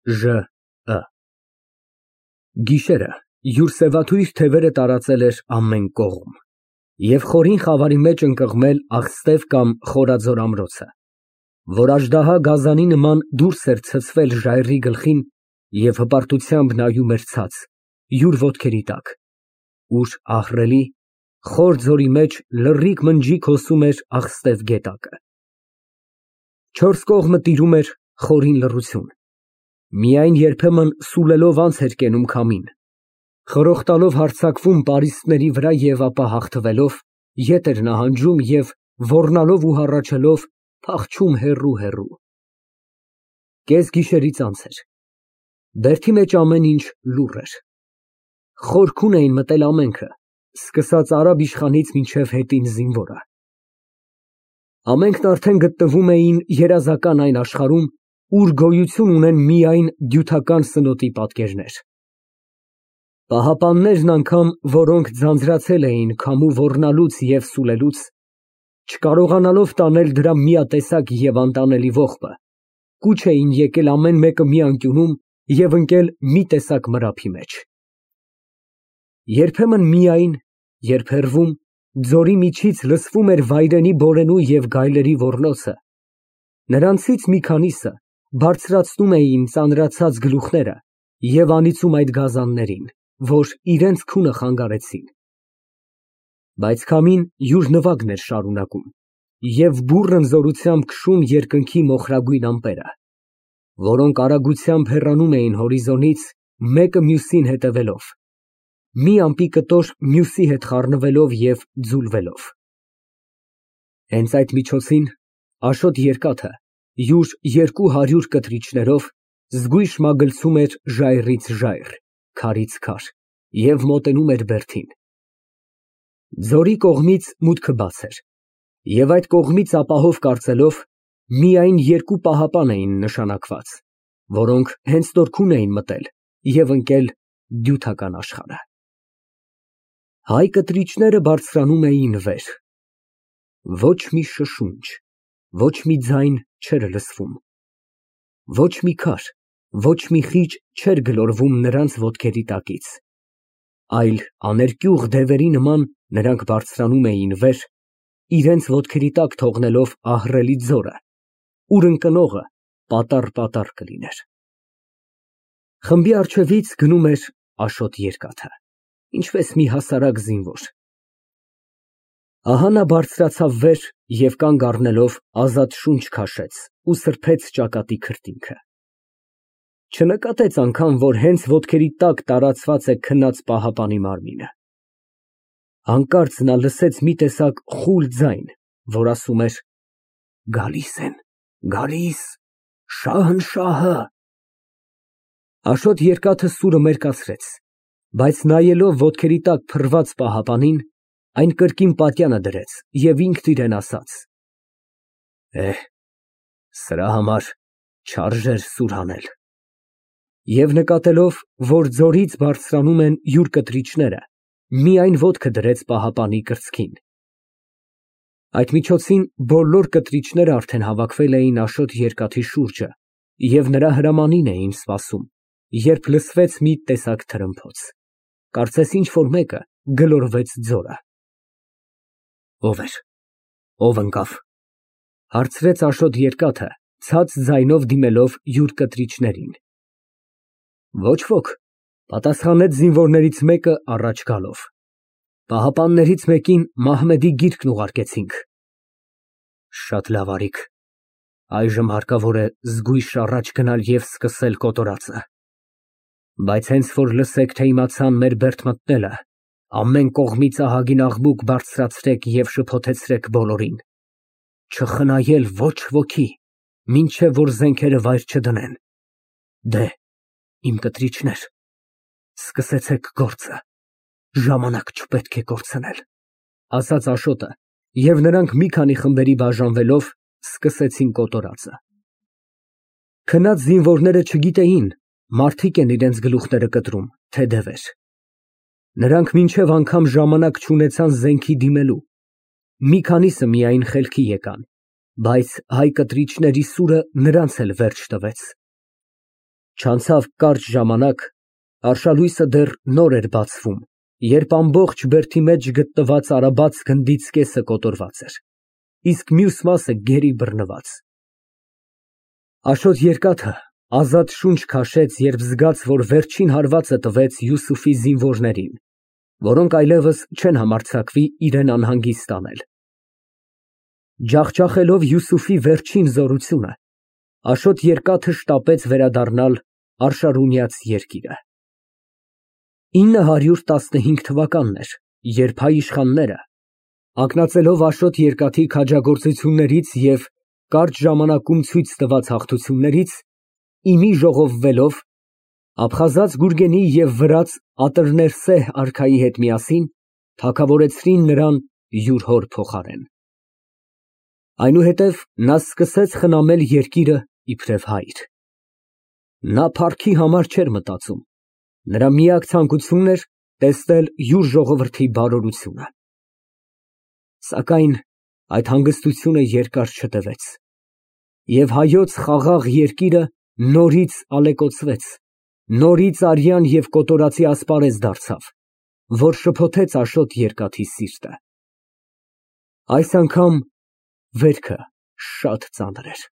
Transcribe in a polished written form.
Ժ Գիշերը յուր սևաթույր թևերը տարածել էր ամեն կողմ և խորին խավարի մեջ ընկղմել աղստև կամ խորաձոր ամրոցը, որ աժդահա գազանի նման դուրս էր ցցվել ժայռի գլխին և հպարտությամբ նայում էր ցած, յուր ոտքերի տակ, ուր ահռելի, խոր ձորի մեջ լռիկ մնջիկ հոսում էր աղստև գետակը։ Չորս կողմը տիրում էր խորին լռություն, միայն երբեմն սուլելով անց էր կենում քամին, խրոխտալով հարձակվում պարիսպների վրա և ապա հաղթվելով, ետ էր նահանջում և ոռնալով ու հառաչելով փախչում հեռու։ Կեսգիշերից անց էր, բերդի մեջ ամեն ինչ լուռ էր, խորքուն էին մտել ամենքը, սկսած արաբ իշխանից մինչև հետին զինվորը։ Ամենքն արդեն գտնվում էին երազական այն աշխարհում, ուր գոյություն ունեն միայն դյութական սնոտի պատկերներ։ Պահապաններն անգամ, որոնք ձանձրացել էին քամու ոռնալուց և սուլելուց, չկարողանալով տանել դրա միատեսակ և անտանելի ողբը, կուչ էին եկել ամեն մեկը մի անկյունում և ընկել մի տեսակ մրափի մեջ։ Երբեմն միայն, երբ հեռվում, ձորի միջից լսվում էր վայրենի բորենու և գայլերի ոռնոցը, նրանցից մի քանիսը բարձրացնում էին ծանրացած գլուխները և անիծում այդ գազաններին, որ իրենց քունը խանգարեցին։ Բայց քամին յուր նվագն էր շարունակում և բուռն զորությամբ քշում երկնքի մոխրագույն ամպերը, որոնք արագությամբ հեռանում էին հորիզոնից, մեկը մյուսին հետևելով, մի ամպի կտոր մյուսի հետ խառնվելով և ձուլվելով։ Հենց այդ միջոցին Աշոտ Երկաթը յուր 200 կտրիչներով զգույշ մագլցում էր ժայռից ժայռ, քարից քար և մոտենում էր բերդին։ Ձորի կողմից մուտքը բաց էր, և այդ կողմից ապահով կարծելով, միայն երկու պահապան էին նշանակված, որոնք հենց նորքուն էին մտել և ընկել դյութական աշխարհը։ Հայ կտրիչները բարձրանում էին վեր, ոչ մի շշունչ, ոչ մի ձայն չէր լսվում, ոչ մի քար, ոչ մի խիճ չէր գլորվում նրանց ոտքերի տակից, այլ աներկյուղ դևերի նման նրանք բարձրանում էին վեր, իրենց ոտքերի տակ թողնելով ահռելի ձորը, ուր ընկնողը պատառ կլիներ։ Խմբի առջևից գնում էր Աշոտ Երկաթը, ինչպես մի հասարակ զինվոր։ Ահա նա բարձրացավ վեր և կանգ առնելով ազատ շունչ քաշեց ու սրբեց ճակատի քրտինքը։ Չնկատեց անգամ, որ հենց ոտքերի տակ տարածված է քնած պահապանի մարմինը։ Հանկարծ նա լսեց մի տեսակ խուլ ձայն, որ ասում էր. «Գալիս են, գալիս, Շահնշահը»։ Աշոտ Երկաթը սուրը մերկացրեց, բայց նայելով ոտքերի տակ փռված պահապանին, այն կրկին պատյանը դրեց և ինքն իրան ասաց. Սրա համար չարժեր սուր հանել։ Եվ նկատելով, որ ձորից բարձրանում են յուր կտրիչները, միայն ոտքը դրեց պահապանի կրծքին։ Այդ միջոցին բոլոր կտրիչներն արդեն հավաքվել էին Աշոտ Երկաթի շուրջը և նրա հրամանին էին սպասում, երբ լսվեց մի տեսակ թրմփոց, կարծես ինչ֊որ մեկը գլորվեց ձորը։ Ո՞վ էր, ո՞վ ընկավ, հարցրեց Աշոտ Երկաթը, ցած ձայնով դիմելով յուր կտրիչներին։ Ոչ ոք, պատասխանեց զինվորներից մեկը առաջ գալով։ Պահապաններից մեկին Մահմեդի գիրկն ուղարկեցինք։ Շատ լավ արիք, այժմ հարկավոր է զգույշ առաջ գնալ և սկսել կոտորածը։ Բայց հենց որ լսեք, թե իմացան մեր բերդ մտնելը, ամեն կողմից ահագին աղմուկ բարձրացրեք և շփոթեցրեք բոլորին, չխնայել ոչ ոքի, մինչև որ զենքերը վայր չդնեն։ Դե, իմ կտրիչներ, սկսեցեք գործը, ժամանակ չպետք է կորցնել, ասաց Աշոտը, և նրանք մի քանի խմբերի բաժանվելով սկսեցին կոտորածը։ Քնած զինվորները չգիտեին, մարդիկ են իրենց գլուխները կտրում, թե դևեր։ Նրանք մինչև անգամ ժամանակ չունեցան զենքի դիմելու, մի քանիսը միայն խելքի եկան, բայց հայ կտրիչների սուրը նրանց էլ վերջ տվեց։ Չանցավ կարճ ժամանակ, արշալույսը դեռ նոր էր բացվում, երբ ամբողջ բերդի մեջ գտնված արաբաց գնդից կեսը կոտորված էր, իսկ մյուս մասը գերի բռնված։ Աշոտ Երկաթը ազատ շունչ քաշեց, երբ զգաց, որ վերջին հարվածը տվեց Յուսուֆի զինվորներին, որոնք այլևս չեն համարձակվի իրան անհանգիստ անել։ Ջախջախելով Յուսուֆի վերջին զորությունը, Աշոտ Երկաթը շտապեց վերադառնալ Արշարունյաց երկիրը։ 915 թվականն էր, երբ հայ իշխանները, ակնածելով Աշոտ Երկաթի քաջագործություններից և կարճ ժամանակում ցույց տված հաղթություններից, իմի ժողովվելով, Աբխազած Գուրգենի և վրաց Ատրներսեհ արքայի հետ միասին թագավորեցրին նրան յուր հոր փոխարեն։ Այնուհետև նա սկսեց խնամել երկիրը իբրև հայր։ Նա փառքի համար չէր մտածում, նրա միակ ցանկությունն էր տեսնել յուր ժողովրդի բարօրությունը։ Սակայն այդ հանգստությունը երկար չտևեց, և հայոց խաղաղ երկիրը նորից ալեկոծվեց, նորից արյան և կոտորածի ասպարեզ դարձավ, որ շփոթեց Աշոտ Երկաթի սիրտը։ Այս անգամ վերքը շատ ծանր էր։